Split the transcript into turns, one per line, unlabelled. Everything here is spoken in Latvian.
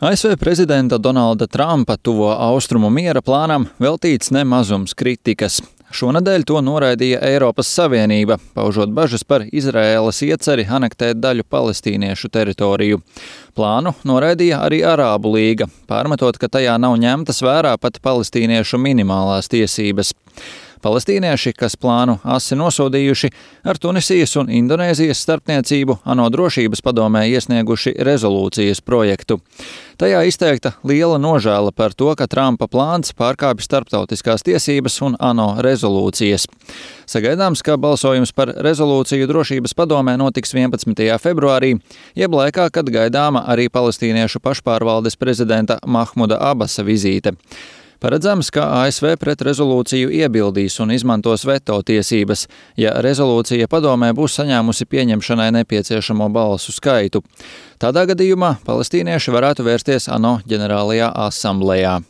ASV prezidenta Donalda Trumpa tuvo austrumu miera plānam veltīts nemazums kritikas. Šonedēļ to noraidīja Eiropas Savienība, paužot bažas par Izraēlas ieceri anektēt daļu palestīniešu teritoriju. Plānu noraidīja arī Arābu līga, pārmetot, ka tajā nav ņemtas vērā pat palestīniešu minimālās tiesības. Palestīnieši, kas plānu asi nosodījuši, ar Tunisijas un Indonēzijas starpniecību ANO drošības padomē iesnieguši rezolūcijas projektu. Tajā izteikta liela nožēla par to, ka Trumpa plāns pārkāpj starptautiskās tiesības un ANO rezolūcijas. Sagaidāms, ka balsojums par rezolūciju drošības padomē notiks 11. februārī, jeb laikā, kad gaidāma arī palestīniešu pašpārvaldes prezidenta Mahmuda Abasa vizīte. Paredzams, ka ASV pret rezolūciju iebildīs un izmantos veto tiesības, ja rezolūcija padomē būs saņēmusi pieņemšanai nepieciešamo balsu skaitu. Tādā gadījumā palestīnieši varētu vērsties ANO ģenerālajā asamblejā.